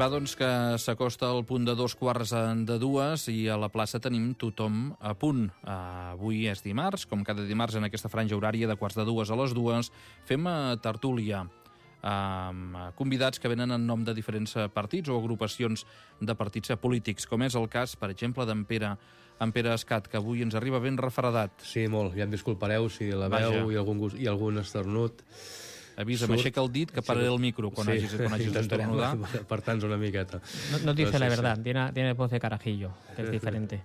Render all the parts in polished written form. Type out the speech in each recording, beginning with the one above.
Va, doncs, que s'acosta al punt de 2:15 i a la plaça tenim tothom a punt. Avui és dimarts, com cada dimarts en aquesta franja horària de 1:45 a les 2, fem tertúlia amb convidats que venen en nom de diferents partits o agrupacions de partits polítics, com és el cas, per exemple, d'en Pere Escat, que avui ens arriba ben refredat. Sí, molt. Ja em disculpareu si la veu i algun esternut. Avisa'm, aixeca el dit que pararé el micro quan hagis d'esternudar. Per tant, una miqueta. No dice la verdad, tiene voz de carajillo, que es diferente.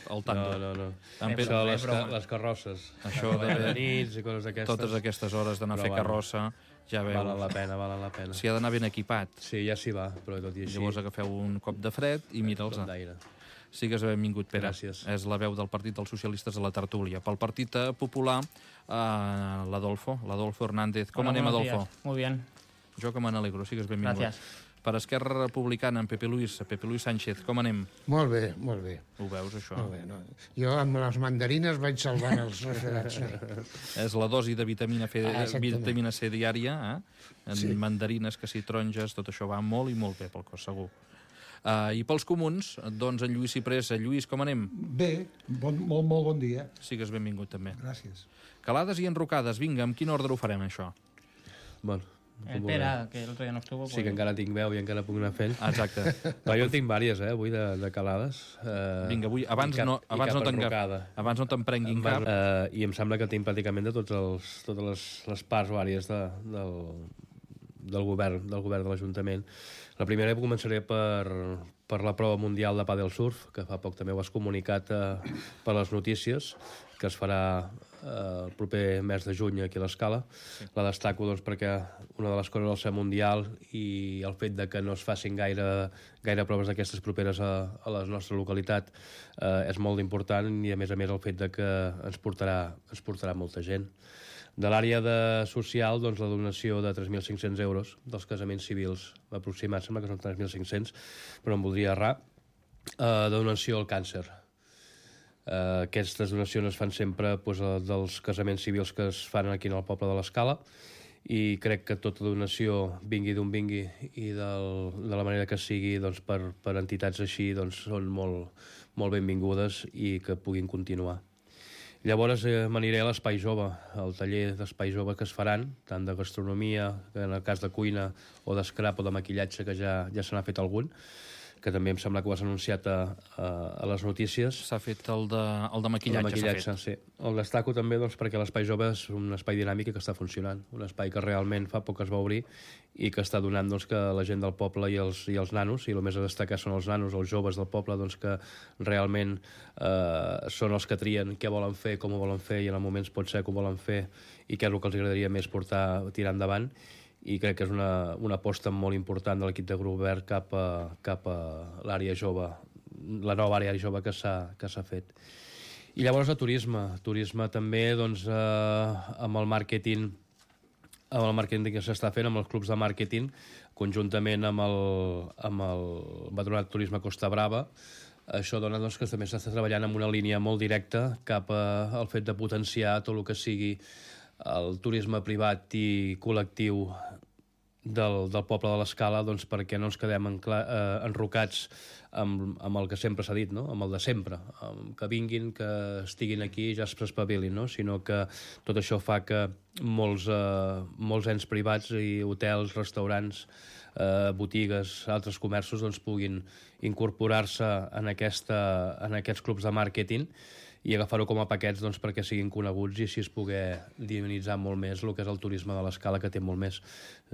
Al tanto. No. Això, les carrosses. Això de nits i coses d'aquestes. Totes aquestes hores d'anar a fer carrossa, ja veus. Valen la pena. S'hi ha d'anar ben equipat. Sí, ja s'hi va, però tot i així... Llavors agafeu un cop de fred i mira'ls. Sigues benvingut, Pere. Gràcies. És la veu del Partit dels Socialistes a la tertúlia. Pel Partit Popular, l'Adolfo Hernández. Com anem, Adolfo? Muy bien. Jo que me n'alegro, sigues benvingut. Gràcies. Per Esquerra Republicana, en Pepe Luis Sánchez, com anem? Molt bé, molt bé. Ho veus, això? Molt bé, no? Jo amb les mandarines vaig salvant els refredats. És la dosi de vitamina C diària, en Sí. mandarines, que si taronges, tot això va molt i molt bé pel cos, segur. I pels comuns, doncs en Lluís Ciprés. Lluís, com anem? Bé, molt bon dia. Sigues benvingut també. Gràcies. Calades i enrocades, vinga, amb quin ordre ho farem, això? Bueno, El Pere, que el otro día no estuvo... Sí, que encara tinc veu i encara puc anar fent. Exacte. Però jo en tinc vàries, avui, de calades. Vinga, avui, abans no te'n prenguin cap. I em sembla que tinc pràcticament de totes les parts vàries del govern de l'Ajuntament. La primera començaré per la prova mundial de pàdel surf, que fa poc també ho has comunicat per les notícies, que es farà el proper mes de juny aquí a l'Escala. Sí. La destaco doncs, perquè una de les coses del ser mundial i el fet de que no es facin gaire proves d'aquestes properes a la nostra localitat és molt important, i a més el fet de que ens portarà molta gent. De l'àrea social, doncs, la donació de 3.500 euros dels casaments civils aproximats, sembla que són 3.500, però em voldria errar, de donació al càncer. Aquestes donacions es fan sempre dels casaments civils que es fan aquí en el poble de l'Escala, i crec que tota donació, vingui d'on vingui i de la manera que sigui, doncs, per entitats així, doncs, són molt, molt benvingudes i que puguin continuar. Llavors m'aniré a l'Espai Jove, al taller d'Espai Jove que es faran, tant de gastronomia, en el cas de cuina, o d'escrap o de maquillatge, que ja se n'ha fet algun, que també em sembla que ho has anunciat a les notícies. S'ha fet el de maquillatge. Sí. El destaco també doncs, perquè l'Espai Jove és un espai dinàmic que està funcionant, un espai que realment fa poc es va obrir i que està donant doncs, que la gent del poble i els nanos, i el més a destacar són els nanos, els joves del poble, doncs, que realment són els que trien què volen fer, com ho volen fer, i en el moment pot ser que ho volen fer i què és el que els agradaria més tirar endavant. I crec que és una aposta molt important de l'equip de Govern cap a l'àrea jove, la nova àrea jove que s'ha fet. I llavors el turisme també, doncs, amb el màrqueting que s'està fent, amb els clubs de màrqueting, conjuntament amb el Patronat Turisme Costa Brava. Això dona doncs, que també s'està treballant en una línia molt directa cap al fet de potenciar tot el que sigui el turisme privat i col·lectiu del poble de l'Escala, doncs, perquè no ens quedem enrocats amb el que sempre s'ha dit, no? Amb el de sempre, que vinguin, que estiguin aquí i ja s'espavilin, no? Sinó que tot això fa que molts ens privats i hotels, restaurants, botigues, altres comerços doncs, puguin incorporar-se en aquests clubs de màrqueting i agafar-ho com a paquets doncs, perquè siguin coneguts i així es poder dinamitzar molt més el que és el turisme de l'Escala, que té molt més.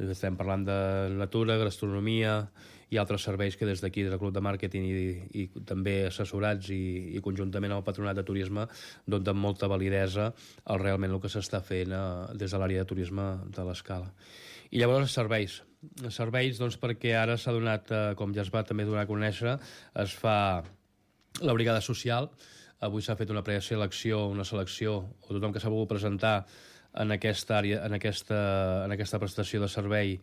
Estem parlant de natura, gastronomia i altres serveis que des d'aquí, des del club de màrqueting i també assessorats i conjuntament amb el Patronat de Turisme donen molta validesa al realment el que s'està fent des de l'àrea de turisme de l'Escala. I llavors serveis, doncs, perquè ara s'ha donat, com ja es va també donar a conèixer, es fa la brigada social. Avui s'ha fet una preselecció, una selecció, o tothom que s'ha volgut presentar en aquesta àrea, en aquesta prestació de servei,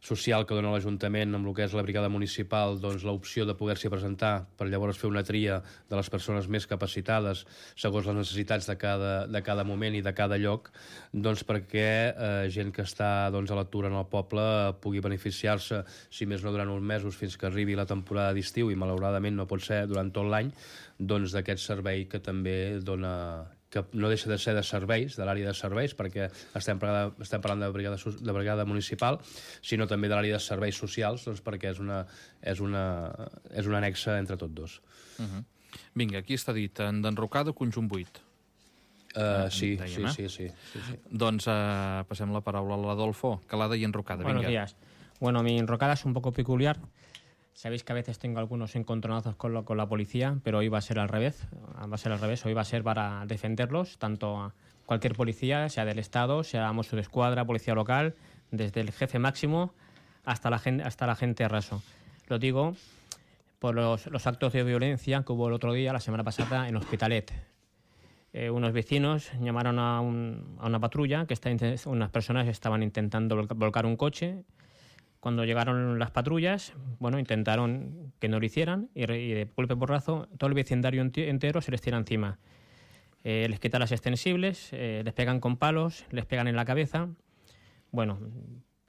social que dona l'Ajuntament amb el que és la brigada municipal, doncs l'opció de poder-s'hi presentar per llavors fer una tria de les persones més capacitades segons les necessitats de cada moment i de cada lloc, doncs perquè gent que està doncs, a l'atur en el poble pugui beneficiar-se, si més no durant uns mesos fins que arribi la temporada d'estiu, i malauradament no pot ser durant tot l'any, doncs d'aquest servei que també dona, que no deixa de ser de serveis, de l'àrea de serveis, perquè estem parlant de brigada municipal, sinó també de l'àrea de serveis socials, doncs perquè és una anexa entre tots dos. Vinga, aquí està dit, d'enrocada, conjunt 8. Sí. Doncs passem la paraula a l'Adolfo. Calada y enrocada. Buenos días. Bueno, mi enrocada es un poco peculiar. Sabéis que a veces tengo algunos encontronazos con la policía, pero hoy va a ser al revés. Hoy va a ser para defenderlos, tanto a cualquier policía, sea del Estado, sea Mossos d'Esquadra, policía local, desde el jefe máximo hasta la gente raso. Lo digo por los actos de violencia que hubo el otro día, la semana pasada, en Hospitalet. Unos vecinos llamaron a una patrulla, unas personas estaban intentando volcar un coche. Cuando llegaron las patrullas, intentaron que no lo hicieran y de golpe porrazo todo el vecindario entero se les tira encima. Les quitan las extensibles, les pegan con palos, les pegan en la cabeza. Bueno,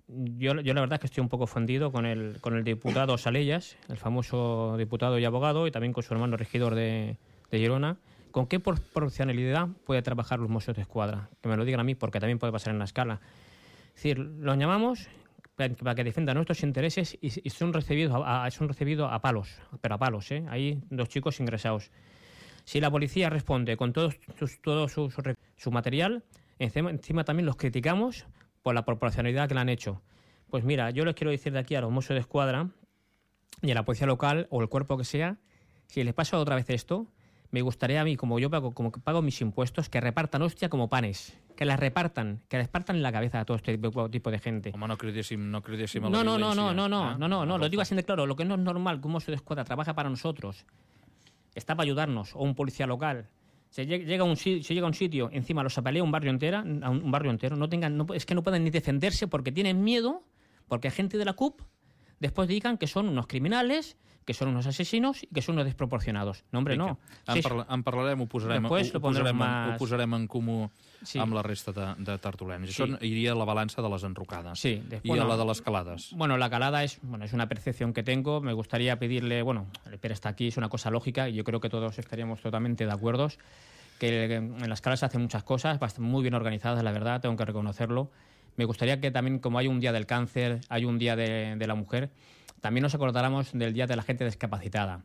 yo la verdad es que estoy un poco ofendido con el diputado Salellas, el famoso diputado y abogado, y también con su hermano regidor de Girona. ¿Con qué proporcionalidad puede trabajar los Mossos d'Esquadra? Que me lo digan a mí, porque también puede pasar en la escala. Es decir, los llamamos para que defendan nuestros intereses y son recibidos a palos, pero a palos, ¿eh? Hay 2 chicos ingresados. Si la policía responde con todo su material, encima también los criticamos por la proporcionalidad que le han hecho. Pues mira, yo les quiero decir de aquí a los Mossos d'Esquadra y a la policía local o el cuerpo que sea, si les pasa otra vez esto, me gustaría a mí, como pago mis impuestos, que repartan hostia como panes. Que les partan en la cabeza a todo este tipo de gente. Home, no cridéssim a la violència. No, lo digo así de claro. Lo que no es normal, que un Mossos d'Esquadra trabaja para nosotros, está para ayudarnos, o un policía local. Se llega a un sitio, encima los apalea un barrio entero, es que no pueden ni defenderse porque tienen miedo, porque gente de la CUP después digan que son unos criminales, que són uns assassinos i que són unos desproporcionados. No, hombre, no. En parlarem, ho posarem en comú amb la resta de tertulians. Això iria a la balança de les enrocades. Sí. I a la de les calades. Bueno, la calada es una percepción que tengo. Me gustaría pedirle, el Pere está aquí, es una cosa lógica y yo creo que todos estaríamos totalmente de acuerdo, que en las calas se hacen muchas cosas, muy bien organizadas, la verdad, tengo que reconocerlo. Me gustaría que también, como hay un día del cáncer, hay un día de la mujer, también nos acordáramos del Día de la Gente Discapacitada.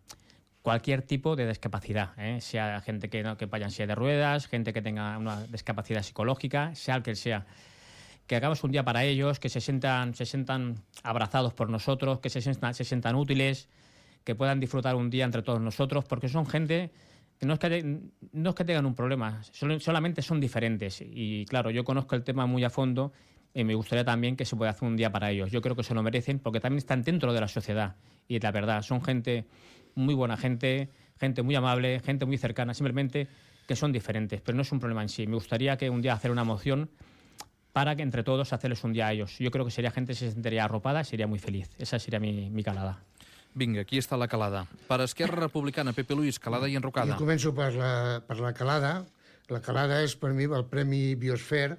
Cualquier tipo de discapacidad, sea gente que vaya en silla de ruedas, gente que tenga una discapacidad psicológica, sea el que sea. Que hagamos un día para ellos, que se sientan abrazados por nosotros, que se sientan útiles, que puedan disfrutar un día entre todos nosotros, porque son gente que no es que tengan un problema, solamente son diferentes. Y claro, yo conozco el tema muy a fondo y me gustaría también que se pueda hacer un día para ellos. Yo creo que se lo merecen porque también están dentro de la sociedad. Y la verdad, son gente muy buena, gente muy amable, gente muy cercana, simplemente que son diferentes, pero no es un problema en sí. Me gustaría que un día hacer una moción para que entre todos hacerles un día a ellos. Yo creo que sería gente que se sentiría arropada y sería muy feliz. Esa sería mi calada. Vinga, aquí està la calada. Per Esquerra Republicana, Pepe Luis, calada i enrocada. Jo començo per la calada. La calada és per mi el Premi Biosfer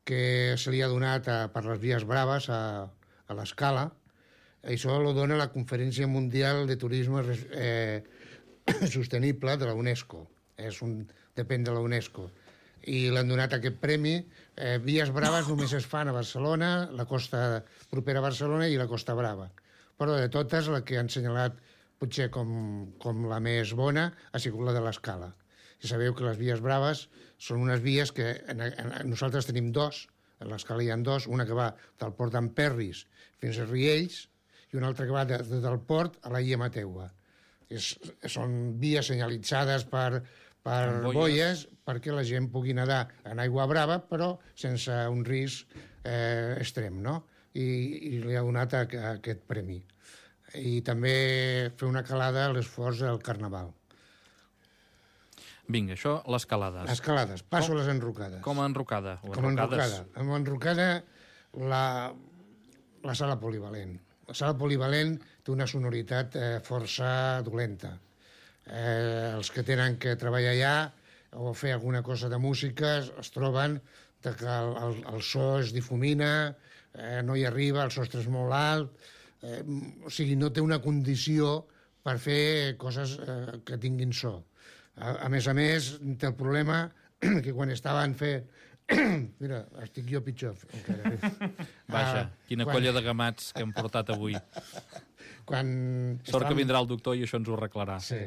que se li ha donat per les Vies Braves a l'Escala. Això ho dona la Conferència Mundial de Turisme Sostenible de la UNESCO. Depèn de la UNESCO. I l'han donat aquest premi. Vies Braves només es fan a Barcelona, la costa propera a Barcelona i la Costa Brava. Però de totes, la que han assenyalat potser com la més bona ha sigut la de l'Escala. I sabeu que les Vies Braves són unes vies que nosaltres tenim 2, a l'Escala hi ha 2, una que va del port d'Emperris fins a Riells i una altra que va del port a la Illa Mateua. Són vies senyalitzades per boies perquè la gent pugui nedar en aigua brava però sense un risc extrem, no? I li ha donat aquest premi. I també fer una calada a l'esforç del Carnaval. Vinga, això, les calades. Les calades. Passo a les enrocades. Com a enrocada? Com a enrocada. Amb enrocada, la sala polivalent. La sala polivalent té una sonoritat força dolenta. Els que tenen que treballar allà o fer alguna cosa de música es troben que el so es difumina, no hi arriba, el sostre és molt alt, o sigui, no té una condició per fer coses que tinguin so. A més, té el problema que quan estaven fent... Mira, estic jo pitjor encara. Vaja, quina colla de gamats que hem portat avui. Sort que vindrà el doctor i això ens ho arreglarà. Sí,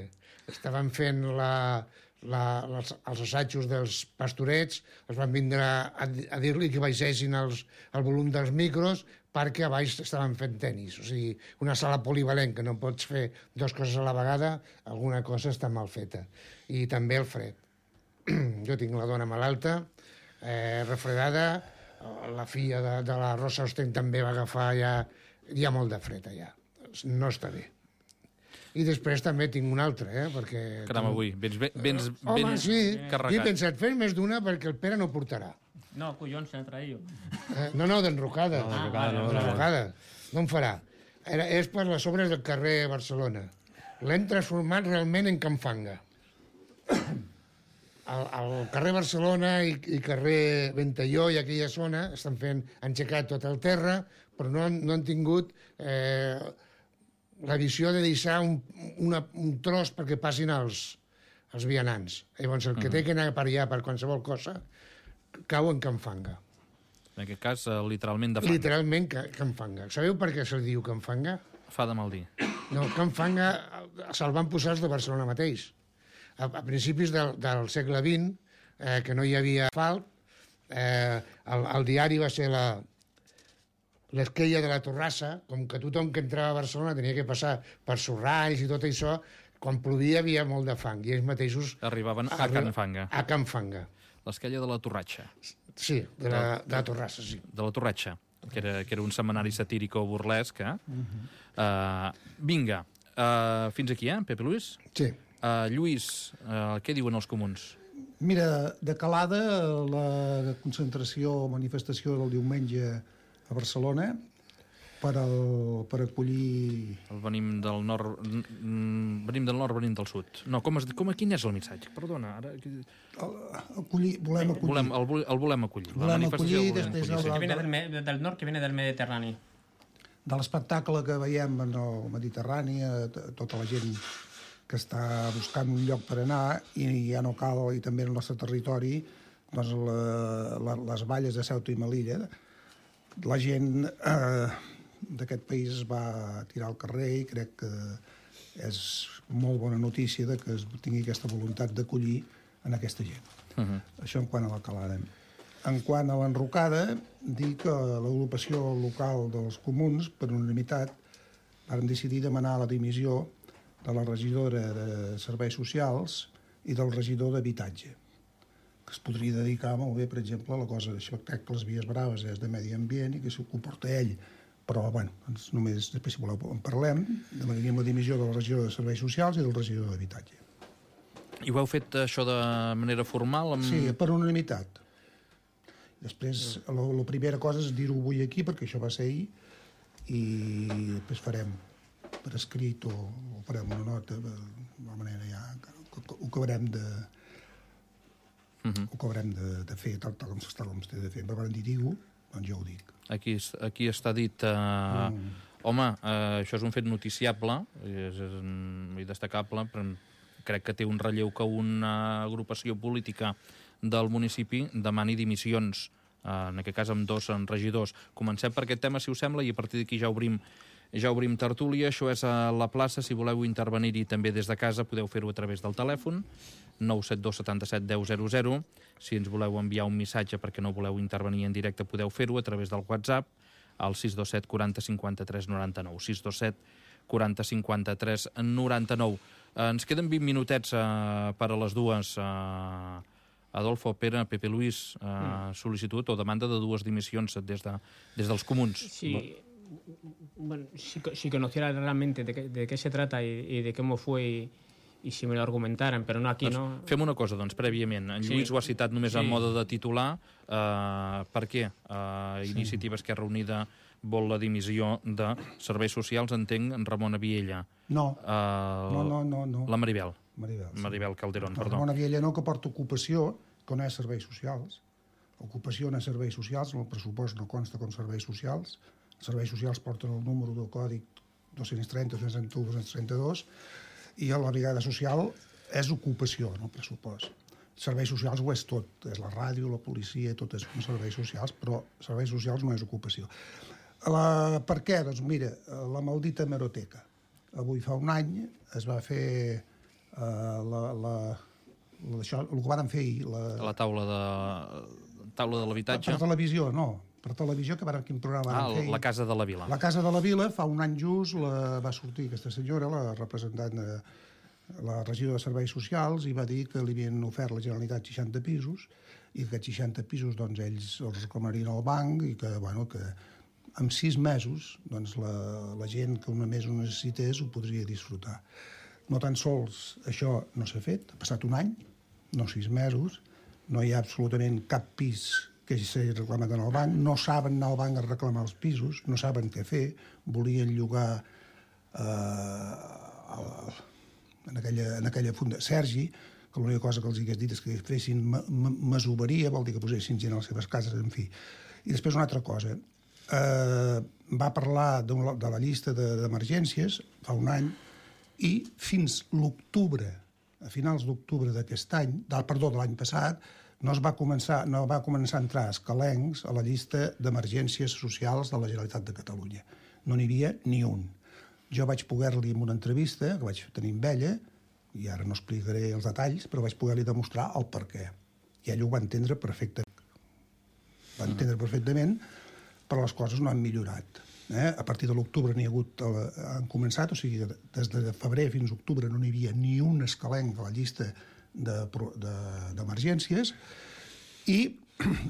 estaven fent els assajos dels pastorets, els van vindre a dir-li que baixessin el volum dels micros perquè a baix estaven fent tenis. O sigui, una sala polivalent que no pots fer dues coses a la vegada, alguna cosa està mal feta. I també el fred. Jo tinc la dona malalta, refredada, la filla de la Rosa Osten també va agafar ja... Hi ha molt de fred allà. No està bé. I després també tinc una altra, perquè... Caram, avui, vens home, sí, carregat. he pensat fer més d'una perquè el Pere no portarà. No, collons, se la traïo. No, d'enrocada. D'enrocada. No en farà. És per les obres del carrer Barcelona. L'hem transformat realment en Can Fanga. Al carrer Barcelona i carrer Ventalló i aquella zona han aixecat tot el terra, però no han tingut la visió de deixar un tros perquè passin els vianants. Llavors, el que té que anar per allà per qualsevol cosa cau en Can Fanga. En aquest cas, literalment de fanga. Literalment Can Fanga. Sabeu per què se'l diu Can Fanga? Fa de mal dir. No, Can Fanga se'l van posar els de Barcelona mateix. A principis del segle XX, que no hi havia asfalt, el diari va ser l'esquella de la Torrassa, com que tothom que entrava a Barcelona tenia que passar per Sorralls i tot això, quan plovia havia molt de fang, i ells mateixos... Arribaven a Can Fanga. A Can Fanga. L'esquella de la Torratxa. Sí, de la Torrassa, sí. De la Torratxa, que era un setmanari satírico burlesc. Vinga, fins aquí, Pepe Luis? Sí. Lluís, què diuen els comuns? Mira, de calada, la concentració o manifestació del diumenge a Barcelona per acollir... Venim del nord, venim del sud. No, quin és el missatge? Perdona, ara... Volem acollir. El volem acollir. Volem acollir després Que viene del nord, que viene del Mediterrani. De l'espectacle que veiem en el Mediterrani, tota la gent que està buscant un lloc per anar i ja no cal, i també en el nostre territori, doncs les valles de Ceuta i Melilla, la gent d'aquest país es va tirar al carrer i crec que és molt bona notícia que es tingui aquesta voluntat d'acollir en aquesta gent. Això en quant a la calada. En quant a l'enrocada, dir que l'agrupació local dels comuns, per unanimitat, van decidir demanar la dimissió de la regidora de Serveis Socials i del regidor d'Habitatge, que es podria dedicar molt bé, per exemple, a la cosa d'espectacles Vies Braves és de Medi Ambient i que s'ho comporta ell. Però, bueno, només després, si voleu, en parlem. Demanaríem la dimissió de la regidora de Serveis Socials i del regidor d'Habitatge. I ho heu fet, això, de manera formal? Sí, per unanimitat. Després, la primera cosa és dir-ho avui aquí, perquè això va ser ahir, i després farem per escrit o farem una nota de la manera ja ho acabarem de fer tal com s'ha de fer. Però quan diu, doncs jo ho dic. Aquí està dit home, això és un fet noticiable i destacable, però crec que té un relleu que una agrupació política del municipi demani dimissions, en aquest cas amb 2 regidors. Comencem per aquest tema, si us sembla, i a partir d'aquí ja obrim tertúlia. Això és a la plaça. Si voleu intervenir-hi també des de casa, podeu fer-ho a través del telèfon 972 77 10 00. Si ens voleu enviar un missatge perquè no voleu intervenir en directe, podeu fer-ho a través del WhatsApp al 627 40 53 99. 627 40 53 99. Ens queden 20 minutets per a les dues. Adolfo, Pere, Pepe Luis, sol·licitud o demanda de 2 dimissions des dels comuns. Sí. Bueno, si conociera realmente de qué se trata y de cómo fue y si me lo argumentaran, però no aquí, doncs, no... Fem una cosa, doncs, prèviament. En Lluís ho ha citat només en mode de titular. Per què? Iniciativa Esquerra Unida vol la dimissió de Serveis Socials, entenc, en Ramon Aviella. No. No. La Maribel. Maribel Calderón, perdó. Ramon Aviella no, que porta ocupació, que no és serveis socials. Ocupació no és serveis socials, en el pressupost no consta com serveis socials. Els serveis socials porten el número del còdic 230, 231, 232, i la brigada social és ocupació, no pressupost. Serveis socials ho és tot, és la ràdio, la policia, tot és serveis socials, però serveis socials no és ocupació. Per què? Doncs mira, la maldita hemeroteca. Avui fa un any es va fer això, el que van fer ahir... La taula de l'habitatge? Per televisió, no. Per televisió, quin programa van fer ahir? La Casa de la Vila. La Casa de la Vila, fa un any just, va sortir aquesta senyora, la representant de la regidora de Serveis Socials, i va dir que li havien ofert la Generalitat 60 pisos, i que aquests 60 pisos doncs, ells els reclamarien al banc, i que, bueno, que en 6 mesos doncs, la gent que només ho necessités ho podria disfrutar. No tan sols això no s'ha fet, ha passat un any, no 6 mesos, no hi ha absolutament cap pis que s'hagi reclamat en el banc, no saben anar al banc a reclamar els pisos, no saben què fer, volien llogar en aquella funda Sergi, que l'única cosa que els hagués dit és que fessin masoveria, vol dir que posessin gent a les seves cases, en fi. I després una altra cosa, va parlar de la llista d'emergències fa un any, i fins l'octubre, a finals d'octubre d'aquest any, de l'any passat, no va començar a entrar escalencs a la llista d'emergències socials de la Generalitat de Catalunya. No n'hi havia ni un. Jo vaig poder-li, en una entrevista que vaig tenir amb ella, i ara no explicaré els detalls, però vaig poder-li demostrar el per què. I ell ho va entendre perfectament. Va entendre perfectament, però les coses no han millorat. A partir de l'octubre han començat, o sigui, des de febrer fins a octubre no n'hi havia ni un escalenc a la llista d'emergències, i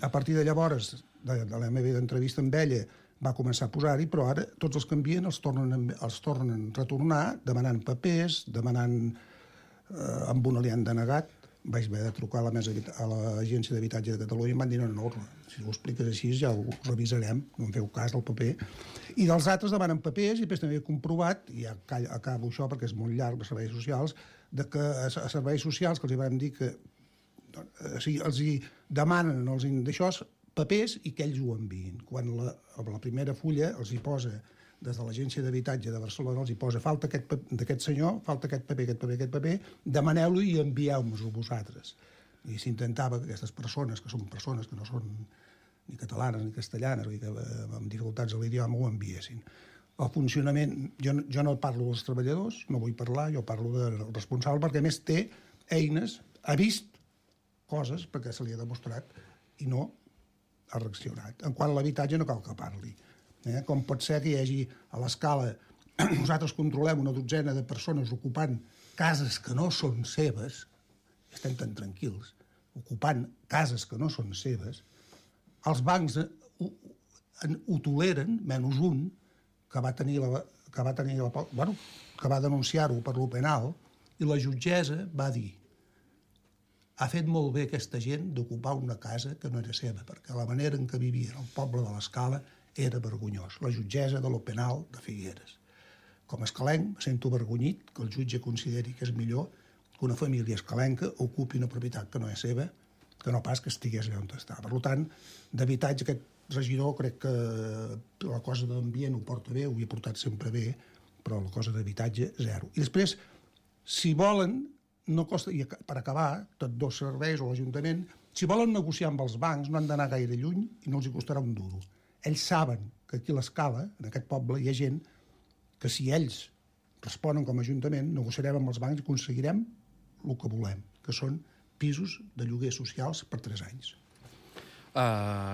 a partir de llavors, de la meva entrevista amb ella, va començar a posar-hi, però ara tots els que envien els tornen a retornar demanant papers, amb una li han denegat. Vaig haver de trucar a l'Agència d'Habitatge de Catalunya i em van dir no, si ho expliques així ja ho revisarem, no em feu cas del paper. I dels altres demanen papers, i després també he comprovat, i ja acabo això perquè és molt llarg, a serveis socials, que a serveis socials que els vam dir que els hi demanen d'això papers i que ells ho enviïn. Quan la primera fulla els hi posa, des de l'Agència d'Habitatge de Barcelona, els hi posa falta d'aquest senyor, falta aquest paper, demaneu-lo i envieu-nos-ho vosaltres. I s'intentava que aquestes persones, que són persones que no són ni catalanes ni castellanes, que amb dificultats de l'idioma ho enviessin. El funcionament, jo no parlo dels treballadors, no vull parlar, jo parlo del responsable, perquè a més té eines, ha vist coses perquè se li ha demostrat i no ha reaccionat. En quant a l'habitatge no cal que parli. Com pot ser que hi hagi a l'escala, nosaltres controlem una dotzena de persones ocupant cases que no són seves, estem tan tranquils, ocupant cases que no són seves, els bancs ho toleren, menys un, que va denunciar-ho per lo penal, i la jutgessa va dir ha fet molt bé aquesta gent d'ocupar una casa que no era seva, perquè la manera en què vivien al poble de l'Escala era vergonyós. La jutgessa de lo penal de Figueres. Com a escalenc, me sento avergonyit que el jutge consideri que és millor que una família escalenca ocupi una propietat que no és seva, que no pas que estigués allà on està. Per tant, d'habitatge, aquest regidor crec que la cosa d'ambient ho porta bé, ho havia portat sempre bé, però la cosa d'habitatge, zero. I després, si volen, no costa, i per acabar, tots dos serveis o l'Ajuntament, si volen negociar amb els bancs no han d'anar gaire lluny i no els hi costarà un duro. Ells saben que aquí a l'Escala, en aquest poble, hi ha gent que si ells responen com a Ajuntament, negociarem amb els bancs i aconseguirem el que volem, que són pisos de lloguer socials per 3 anys.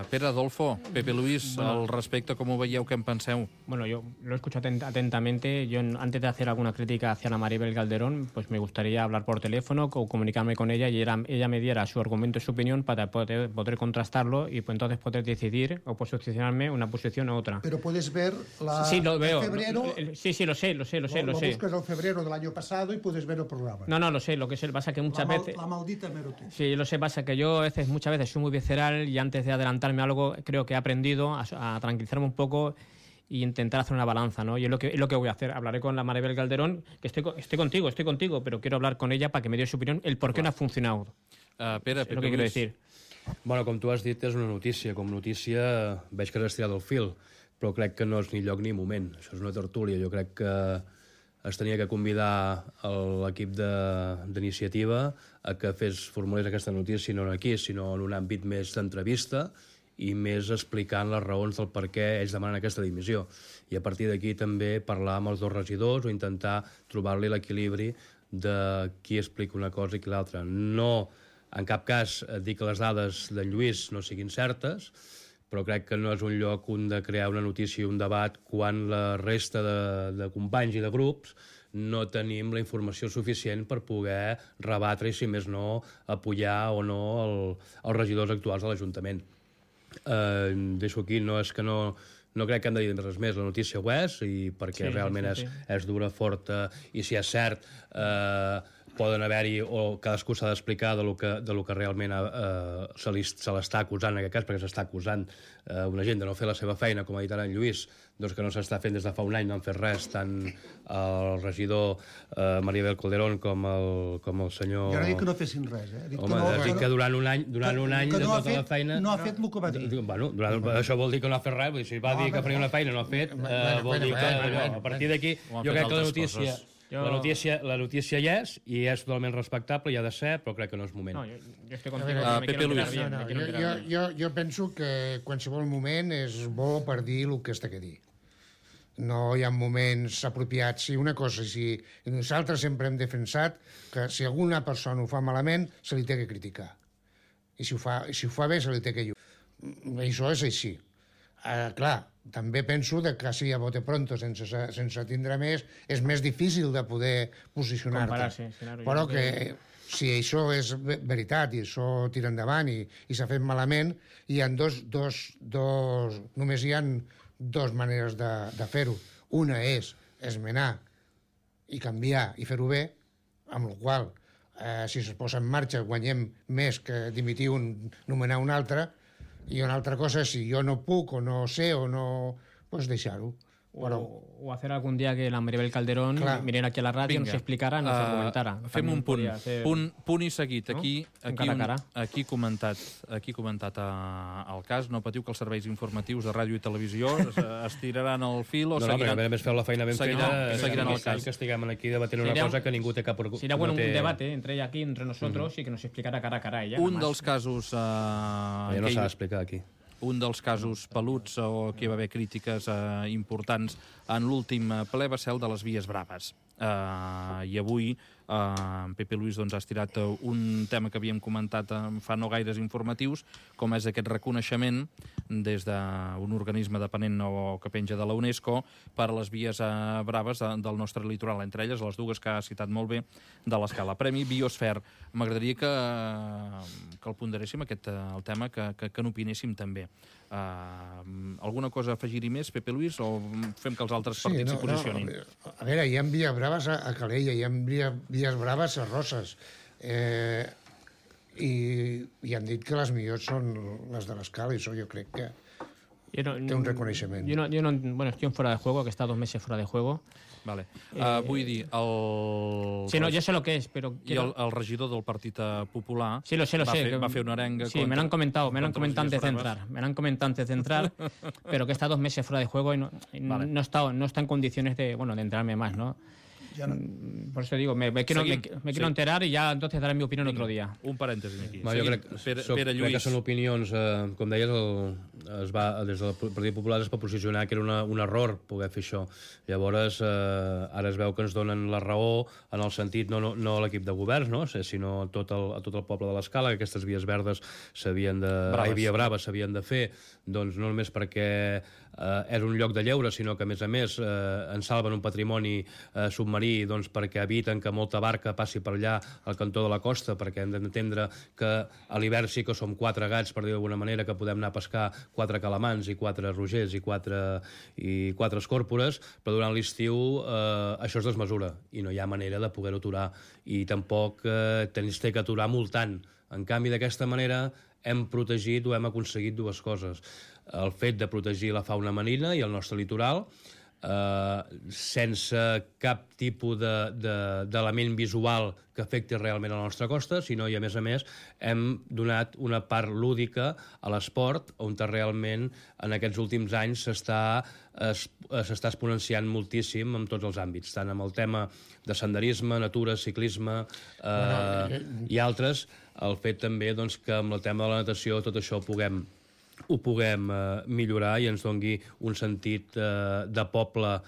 Pere Adolfo, Pepe Luis, al respecte, ¿cómo veieu, qué en penseu? Bueno, yo lo escucho atentamente. Yo, antes de hacer alguna crítica hacia la Maribel Calderón, pues me gustaría hablar por teléfono o comunicarme con ella y ella me diera su argumento y su opinión para poder contrastarlo y pues entonces poder decidir o posicionarme una posición u otra. Pero puedes ver Sí, lo veo. febrero... Sí, lo sé. Lo buscas en febrero del año pasado y puedes ver el programa. No, lo sé. Lo que pasa que muchas veces... La maldita hemeroteca. Sí, lo sé. Pasa que yo muchas veces soy muy visceral y antes de adelantarme a algo creo que he aprendido a tranquilizarme un poco y intentar hacer una balanza, ¿no? Y es lo que voy a hacer. Hablaré con la Maribel Calderón, que estoy contigo, pero quiero hablar con ella para que me dé su opinión, el por qué no ha funcionado. Pere, És el que quiero decir. Bueno, com tu has dit, és una notícia. Com notícia veig que has estirat el fil, però crec que no és ni lloc ni moment. Això és una tertúlia. Jo crec que es tenia que convidar l'equip d'iniciativa a que formulés aquesta notícia no aquí, sinó en un àmbit més d'entrevista i més explicant les raons del per què ells demanen aquesta dimissió. I a partir d'aquí també parlar amb els dos regidors o intentar trobar-li l'equilibri de qui explica una cosa i qui l'altra. No, en cap cas, dir que les dades d'en Lluís no siguin certes, però crec que no és un lloc on de crear una notícia i un debat quan la resta de companys i de grups no tenim la informació suficient per poder rebatre i, si més no, apoyar o no els regidors actuals de l'Ajuntament. Deixo aquí, no és que no crec que hem de dir res més. La notícia ho és, i perquè realment és dura, forta, i si és cert poden haver-hi, o cadascú s'ha d'explicar de lo que realment se l'està acusant en aquest cas, perquè s'està acusant una gent de no fer la seva feina, com ha dit ara en Lluís, doncs que no s'està fent des de fa un any, no han fet res, tant el regidor Maribel Calderón com el senyor... Jo no dic que no fessin res, Dic dic que durant un any de tota la feina... No ha fet el que va dir. Bueno, això vol dir que no ha fet res, si va dir que faria una feina i no ha fet, vol dir que a partir d'aquí jo crec que la notícia hi és, i és totalment respectable, i ha de ser, però crec que no és moment. No, yo estoy contigo. Pepe Luis. Jo penso que qualsevol moment és bo per dir el que es té que dir. No hi ha moments apropiats. Si una cosa, si nosaltres sempre hem defensat que si alguna persona ho fa malament, se li té que criticar. I si ho fa bé, se li té que lluir. Això és així. Clar, també penso que si a bote pronto, sense tindre més, és més difícil de poder posicionar-te. Però que si això és veritat i això tira endavant i s'ha fet malament, només hi ha dues maneres de fer-ho. Una és esmenar i canviar i fer-ho bé, amb la qual si es posa en marxa guanyem més que dimitir un, nomenar un altre, i una altra cosa és si jo no puc o no sé o no... pues deixar-ho. O hacer algún día que la Maribel Calderón viniera aquí a la ràdio, nos explicara, nos argumentara. Fem un punt i seguit. Aquí comentat el cas. No patiu que els serveis informatius de ràdio i televisió es tiraran el fil o seguiran... No, perquè a més feu la feina ben feta, seguiran el cas. Que estiguem aquí debatent una cosa que ningú té cap... Sería bueno un debate entre ella aquí, entre nosotros, y que nos explicara cara a cara ella. Un dels casos... Ja no s'ha d'explicar aquí. Un dels casos peluts o que hi va haver crítiques importants en l'últim ple va ser el de les Vies Braves. I avui Pepe Luis ha estirat un tema que havíem comentat fa no gaires informatius, com és aquest reconeixement des d'un organisme dependent o que penja de la UNESCO per a les vies braves del nostre litoral, entre elles les dues que ha citat molt bé de l'escala. Premi Biosfer. M'agradaria que el ponderéssim, el tema, que n'opinéssim també. Alguna cosa a afegir-hi més, Pepe Luis, o fem que els altres partits s'hi posicionin? A veure, hi ha vies braves a Calella, hi ha vies braves a Roses, i han dit que les millors són les de l'escala, i això jo crec que té un reconeixement. Bueno, estoy en fuera de juego, que está 2 meses fuera de juego. Vale. Vull dir, Sí, no, yo sé lo que es, pero... I el regidor del Partit Popular sí, lo sé, va fer una arenga sí, me lo han comentado antes de entrar, pero que está 2 meses fuera de juego y no está en condiciones de enterarme más, ¿no? Por eso digo, me quiero enterar i ja entonces daré mi opinió otro día. Un parèntesi aquí. Jo crec que són opinions, com deies, des del Partit Popular es va posicionar que era un error poder fer això. Llavors, ara es veu que ens donen la raó en el sentit, no a l'equip de governs, no? Sinó a tot el poble de l'Escala, que aquestes vies verdes via brava s'havien de fer, doncs no només perquè és un lloc de lleure, sinó que a més en salven un patrimoni submarí, doncs perquè eviten que molta barca passi per allà al cantó de la costa, perquè hem d'entendre que a l'hivern sí que som 4 gats, per dir d'alguna manera, que podem anar a pescar 4 calamans i 4 rogers i 4 escòrpores, però durant l'estiu això es desmesura i no hi ha manera de poder-ho aturar, i tampoc tens que aturar multant. En canvi, d'aquesta manera hem protegit o hem aconseguit 2 coses. el fet de protegir la fauna marina i el nostre litoral, sense cap tipus d'element visual que afecti realment a la nostra costa, sinó, i a més, hem donat una part lúdica a l'esport, on realment en aquests últims anys s'està exponenciant moltíssim en tots els àmbits, tant amb el tema de senderisme, natura, ciclisme i altres, el fet també que amb el tema de la natació tot això ho puguem millorar i ens doni un sentit de poble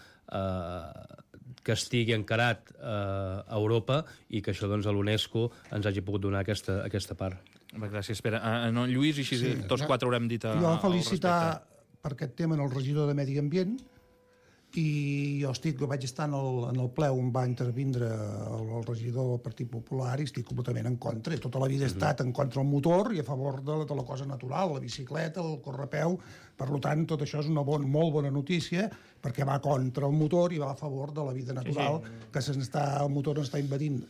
que estigui encarat a Europa i que això a l'UNESCO ens hagi pogut donar aquesta part. Gràcies, Pere. Lluís, i així tots quatre haurem dit al respecte. Jo felicitar per aquest tema el regidor de Medi Ambient, i jo vaig estar en el ple on va intervindre el regidor del Partit Popular i estic completament en contra. Tota la vida he estat en contra del motor i a favor de la cosa natural, la bicicleta, el correpeu. Per tant, tot això és una molt bona notícia perquè va contra el motor i va a favor de la vida natural, que el motor està invadint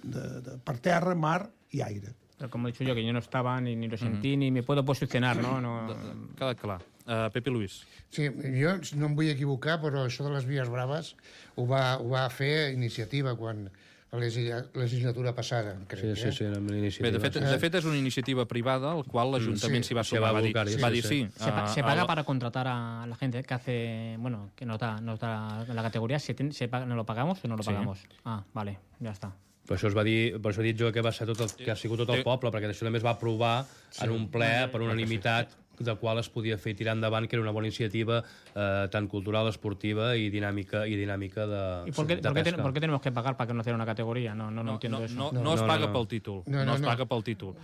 per terra, mar i aire. Pero como he dicho yo, que yo no estaba, ni lo sentí, ni me puedo posicionar, ¿no? Queda clar. Pepe Luis. Sí, jo no em vull equivocar, però això de les vies braves ho va fer iniciativa quan la legislatura passada, crec. Sí, era una iniciativa. Bé, de fet, és una iniciativa privada, al qual l'Ajuntament s'hi va sumar. Va dir sí. Se paga para contratar a la gente que hace, bueno, que nos da la categoría. ¿No lo pagamos o no lo pagamos? Ah, vale, ya está. Per això he dit jo que va ser que ha sigut tot el poble, perquè això també es va aprovar en un ple per unanimitat de qual es podia fer tirar endavant, que era una bona iniciativa tant cultural, esportiva i dinàmica de pesca. ¿Por qué tenemos que pagar para conocer una categoría? No entiendo eso. No es paga pel títol. No es paga pel títol.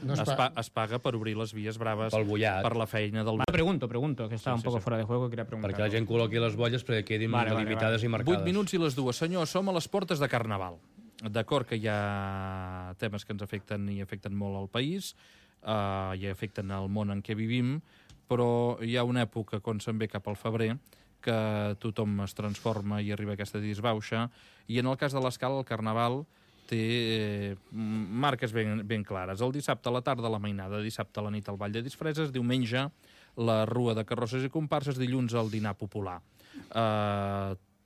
Es paga per obrir les vies braves, per la feina del... Pregunto, que estava un poco fuera de juego, quería preguntar. Perquè la gent col·loqui les bolles perquè quedin delimitades i marcades. 8 minuts i les 2. Senyor, som a les portes de Carnaval. D'acord que hi ha temes que ens afecten i afecten molt al país, i afecten el món en què vivim, però hi ha una època, quan se'n ve cap al febrer, que tothom es transforma i arriba a aquesta disbauxa, i en el cas de l'Escala, el Carnaval té marques ben clares. El dissabte a la tarda, la mainada, dissabte a la nit al Ball de Disfresses, diumenge la rua de carrosses i comparses, dilluns el dinar popular.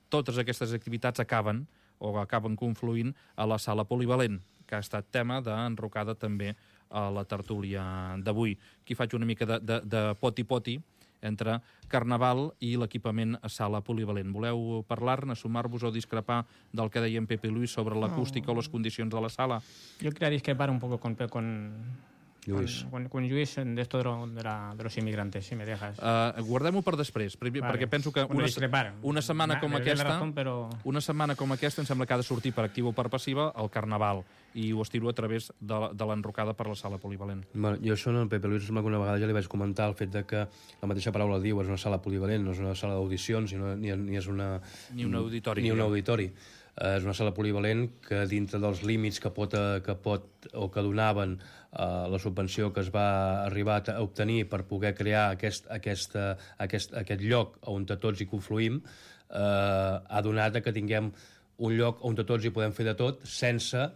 Totes aquestes activitats acaben confluint a la sala polivalent, que ha estat tema d'enrocada també a la tertúlia d'avui. Aquí faig una mica de poti-poti entre Carnaval i l'equipament a sala polivalent. Voleu parlar-ne, sumar-vos o discrepar del que deia en Pepe Luis sobre l'acústica o les condicions de la sala? Jo quería discrepar un poco con Lluís. Con Lluís de esto de los inmigrantes, si me dejas. Guardem-ho per després, perquè penso que una setmana com aquesta em sembla que ha de sortir per activa o per passiva el Carnaval, i ho estiro a través de l'enrocada per la sala polivalent. Jo això en el Pepe Luis sembla que una vegada ja li vaig comentar el fet de que la mateixa paraula diu és una sala polivalent, no és una sala d'audicions ni és ni un auditori. Ni un auditori. És una sala polivalent que dintre dels límits que donaven la subvenció que es va arribar a obtenir per poder crear aquest lloc on tots hi confluïm, ha donat que tinguem un lloc on tots hi podem fer de tot sense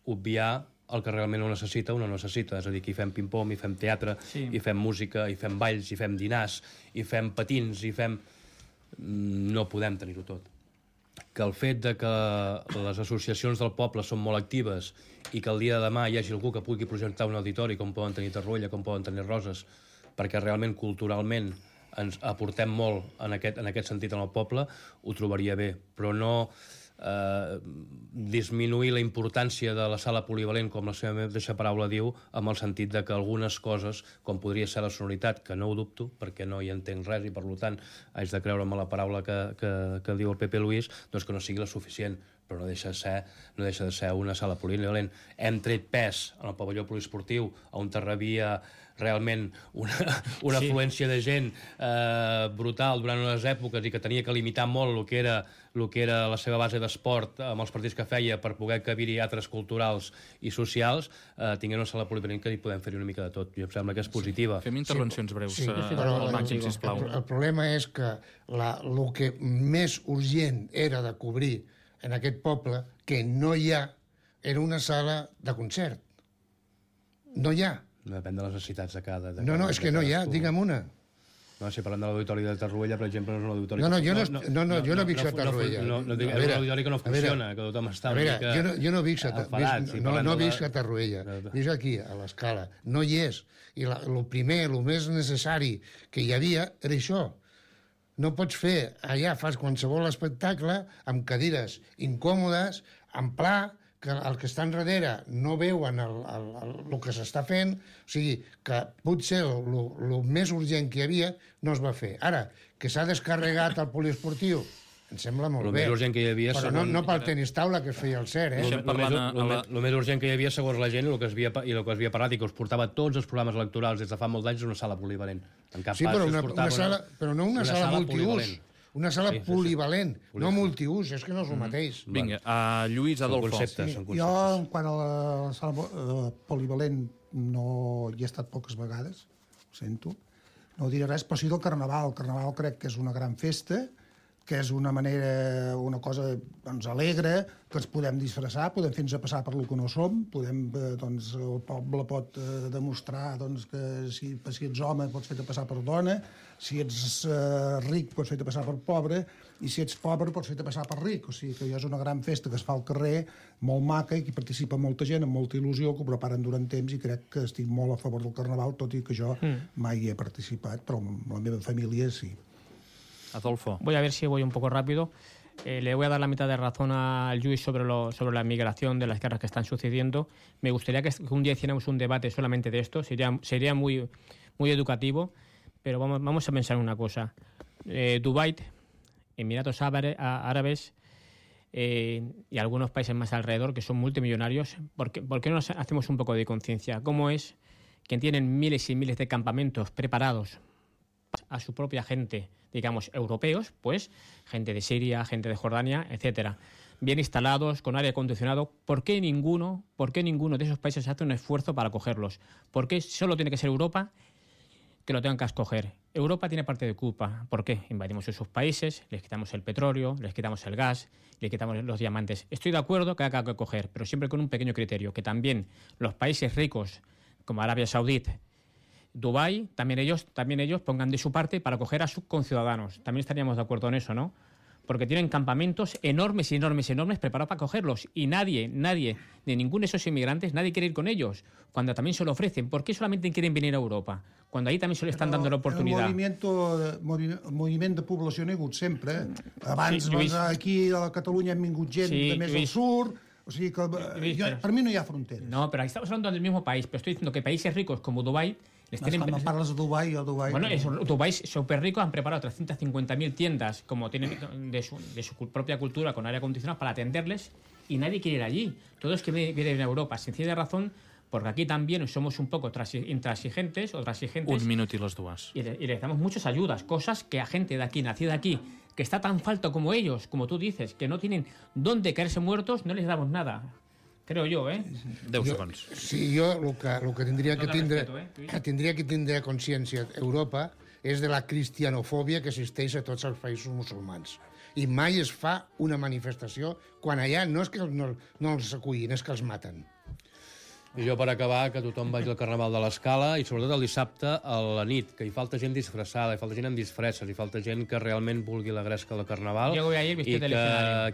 obviar el que realment ho necessita o no necessita. És a dir, que hi fem ping-pong, hi fem teatre, hi fem música, hi fem balls, hi fem dinars, hi fem patins, no podem tenir-ho tot. Que el fet de que les associacions del poble són molt actives i que el dia de demà hi hagi algú que pugui projectar un auditori, com poden tenir Tarruella, com poden tenir Roses, perquè realment culturalment ens aportem molt en aquest sentit en el poble, ho trobaria bé, però no disminuir la importància de la sala polivalent, com la seva mateixa paraula diu, amb el sentit de que algunes coses, com podria ser la sonoritat, que no ho dubto, perquè no hi entenc res i per tant haig de creure'm la paraula que diu el Pepe Luis, doncs que no sigui la suficient, però no deixa de ser una sala polivalent. Hem tret pes en el pavelló poliesportiu, on rebia realment una afluència de gent brutal durant unes èpoques i que tenia que limitar molt el que era la seva base d'esport amb els partits que feia per poder cabir-hi altres culturals i socials, tinguem una sala polivalent que hi podem fer una mica de tot. Jo em sembla que és positiva. Fem intervencions breus. Però el problema és que el que més urgent era de cobrir en aquest poble, que no hi ha, era una sala de concert. No hi ha. Depèn de les necessitats de cada... No, és que no hi ha, digue'm una. No, si parlem de l'auditori de Tarruella, per exemple, no és un auditori... Jo no visc a Tarruella. No, és un auditori que no funciona, que tothom està una mica... Jo no visc a Tarruella, visc aquí, a l'Escala. No hi és. I el primer, el més necessari que hi havia era això. No pots fer, allà fas qualsevol espectacle amb cadires incòmodes, en pla, que els que estan darrere no veuen el que s'està fent, o sigui, que potser el més urgent que hi havia no es va fer. Ara, que s'ha descarregat el poliesportiu, em sembla molt bé. El més urgent que hi havia... Però no pel tenis taula, que es feia el cert, eh? El més urgent que hi havia, segons la gent, i el que es havia parlat, i que us portava tots els programes electorals des de fa molts anys, és una sala polivalent. Sí, però no una sala multiús. Una sala polivalent, no multiús, és que no és el mateix. Vinga, Lluís Adolfo. Jo, en quant a la sala polivalent, no hi he estat poques vegades, ho sento, no diré res, però sí del Carnaval. El Carnaval crec que és una gran festa, que és una manera, una cosa alegre, que ens podem disfressar, podem fer-nos a passar per lo que no som, el poble pot demostrar que si ets home pots fer-te passar per dona, si ets ric pots fer-te passar per pobre, i si ets pobre pots fer-te passar per ric. O sigui que és una gran festa que es fa al carrer, molt maca, i que hi participa molta gent, amb molta il·lusió, que ho preparen durant temps, i crec que estic molt a favor del Carnaval, tot i que jo mai hi he participat, però amb la meva família sí. Adolfo. Voy a ver si voy un poco rápido. Le voy a dar la mitad de razón a Luis sobre la migración de las guerras que están sucediendo. Me gustaría que un día hiciéramos un debate solamente de esto. Sería muy educativo. Pero vamos a pensar una cosa. Dubái, Emiratos Árabes y algunos países más alrededor que son multimillonarios, ¿por qué no hacemos un poco de conciencia? ¿Cómo es que tienen miles y miles de campamentos preparados a su propia gente, digamos, europeos, pues gente de Siria, gente de Jordania, etcétera, bien instalados, con aire acondicionado? ¿Por qué ninguno de esos países hace un esfuerzo para acogerlos? ¿Por qué solo tiene que ser Europa que lo tengan que escoger? Europa tiene parte de culpa. ¿Por qué? Invadimos esos países, les quitamos el petróleo, les quitamos el gas, les quitamos los diamantes. Estoy de acuerdo que haya que acoger, pero siempre con un pequeño criterio, que también los países ricos, como Arabia Saudita, Dubái, también ellos pongan de su parte para acoger a sus conciudadanos. También estaríamos de acuerdo en eso, ¿no? Porque tienen campamentos enormes preparados para acogerlos, y nadie, de ninguno de esos inmigrantes, nadie quiere ir con ellos, cuando también se lo ofrecen. ¿Por qué solamente quieren venir a Europa, cuando ahí también se le están dando la oportunidad? El moviment de població n'hi ha hagut sempre. Abans, aquí a Catalunya hem vingut gent de més al sur. O sigui que per mi no hi ha fronteres. No, pero ahí estamos hablando del mismo país, pero estoy diciendo que países ricos como Dubái... Cuando parles de Dubái, Bueno, Dubái súper rico, han preparado 350.000 tiendas, como tienen de su propia cultura, con aire acondicionado, para atenderles, y nadie quiere ir allí. Todos quieren ir a Europa, sencilla razón, porque aquí también somos un poco intransigentes o transigentes. Un minut i les dues. Y les damos muchas ayudas, cosas que a gente de aquí, nacida aquí, que está tan falta como ellos, como tú dices, que no tienen dónde caerse muertos, no les damos nada. Creo yo, 10 segons. Sí, jo el que tindria que tindre consciència Europa és de la cristianofòbia que existeix a tots els països musulmans. I mai es fa una manifestació quan allà no és que no els acullin, és que els maten. I jo, per acabar, que tothom vagi al Carnaval de l'Escala, i sobretot el dissabte a la nit, que hi falta gent disfressada, hi falta gent amb disfresses, hi falta gent que realment vulgui la gresca del Carnaval, i que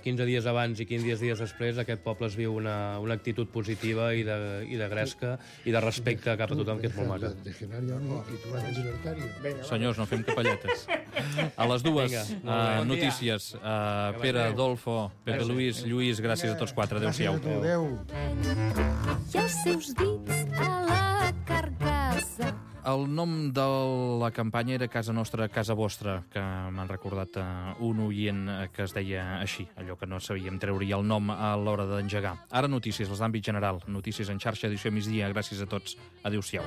15 dies abans i 15 dies després aquest poble es viu una actitud positiva i de gresca i de respecte cap a tothom, que és molt maca. Senyors, no fem capelletes. A les dues, notícies. Pere, Adolfo, Pepe Luis, Lluís, gràcies a tots quatre. Adéu-siau. Adéu. I els seus dits a la carcassa. El nom de la campanya era Casa Nostra, Casa Vostra, que m'han recordat un oient que es deia així, allò que no sabíem treure el nom a l'hora d'engegar. Ara notícies, les d'àmbit general, notícies en xarxa, edició migdia. Gràcies a tots. Adéu-siau.